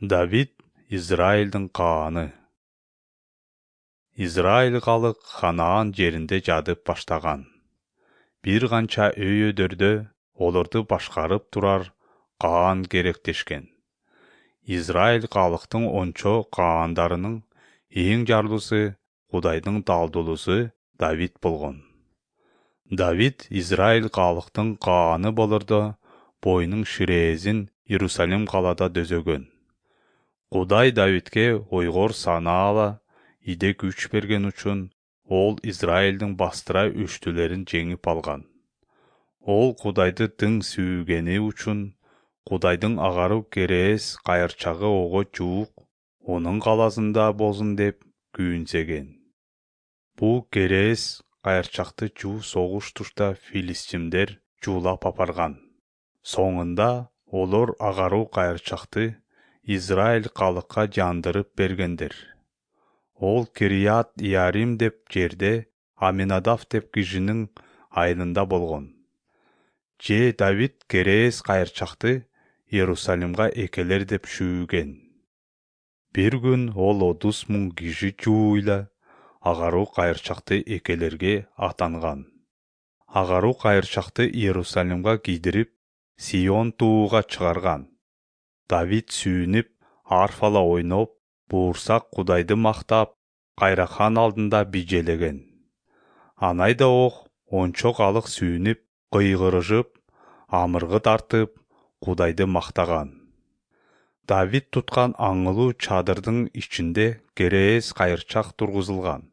Давид Израилдин кааны. Израиль калык Ханаан жеринде жадып баштаган. Бир канча өйөдөрдө олорду башкарып турар каан керектешкен. Израиль калыктын ончо каандарынын эң жарлысы, Кудайдын далдуулусу Давид болгон. Давид Израиль калыктын кааны болордо бойнун ширээзин Иерусалим калада дөзөгөн. Кудай Давидке ойгор санаала иде күч берген үчүн ол Израилдин бастыра үчтүлөрүн жеңип алган. Ол Кудайды тың сүйгени үчүн Кудайдын агаруу керээс кайырчагы ого жуук онун каласында болсун деп күйүнсеген. Бул керээс кайырчакты жуу согуш турта филистимдер жуулап апарган. Соңунда олор агаруу кайырчакты Израиль калыкка жандырып бергендер. Ол Кирият Иарим деп жерде Аминадав деп кишинин айылында болгон. Давид керээс кайырчакты Иерусалимга экелер деп шүүгөн. Бир күн ол 30 000 киши жууйла агаруу кайырчакты экелерге атанган. Агаруу кайырчакты Иерусалимга кийдирип, Сион тууга чыгарган. Давид сүйүнүп, арфала ойноп, буурсак Кудайды мактап, кайрахан алдында bijелеген. Анайда ок ончо калык сүйүнүп, кыйгырышып, амыргы тартып, Кудайды мактаган. Давид туткан аңылуу чадырдын ичинде керээс кайырчак тургузулган.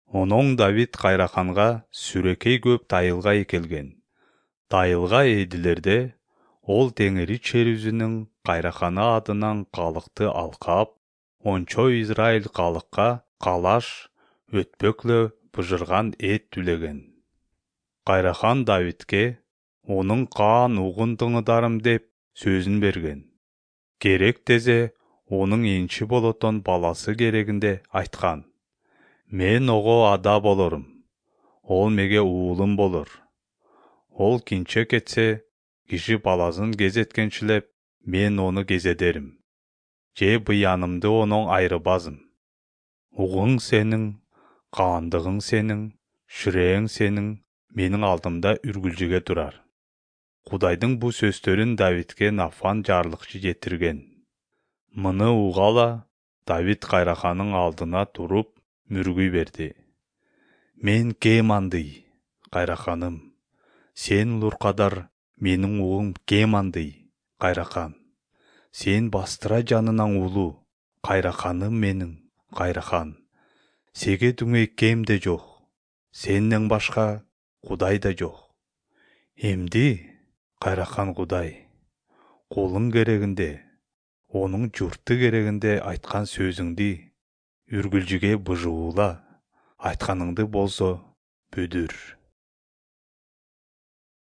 Онон Давид кайраханга сүрөкей көп дайылга экелген. Дайылга эдилерде ол теңири черүзүнүн кайраханы адынан калыкты алкап, ончо Израиль калыкка калаш, өтпөклө быжырган эт түлеген. Кайрахан Давидке онун каан угун тыңыдарым деп сөзүн берген. Керек дезе онун энчи болотон баласы керегинде айткан. Мен ого ада болорум, ол меге уулум болор. Ол кинче кетсе, киши баласын кезеткенчилеп, мен ону кезедерим. Же быянымды онон айрыбазым. Угуң сенин, каандыгың сенин, ширээң сенин менин алдымда үргүлжүгө турар. Кудайдын бу сөздөрүн Давидке Нафан жарлыкчы жетирген. Муну угала Давид кайраханын алдына туруп мүргүй берди. Мен кем андый, кайраханым. Сен луркадар, менин угум кем андый, кайрахан. Сен бастыра жанынан улуу, кайраханым менин, кайрахан. Сеге дүңөй кем де жок, сенден башка Кудай да жок. Эмди, кайрахан Кудай, кулуң керегинде, онун журту керегинде айткан сөзүңдү үргүлжүгө быжуула, айтканыңды болсо бүдүр.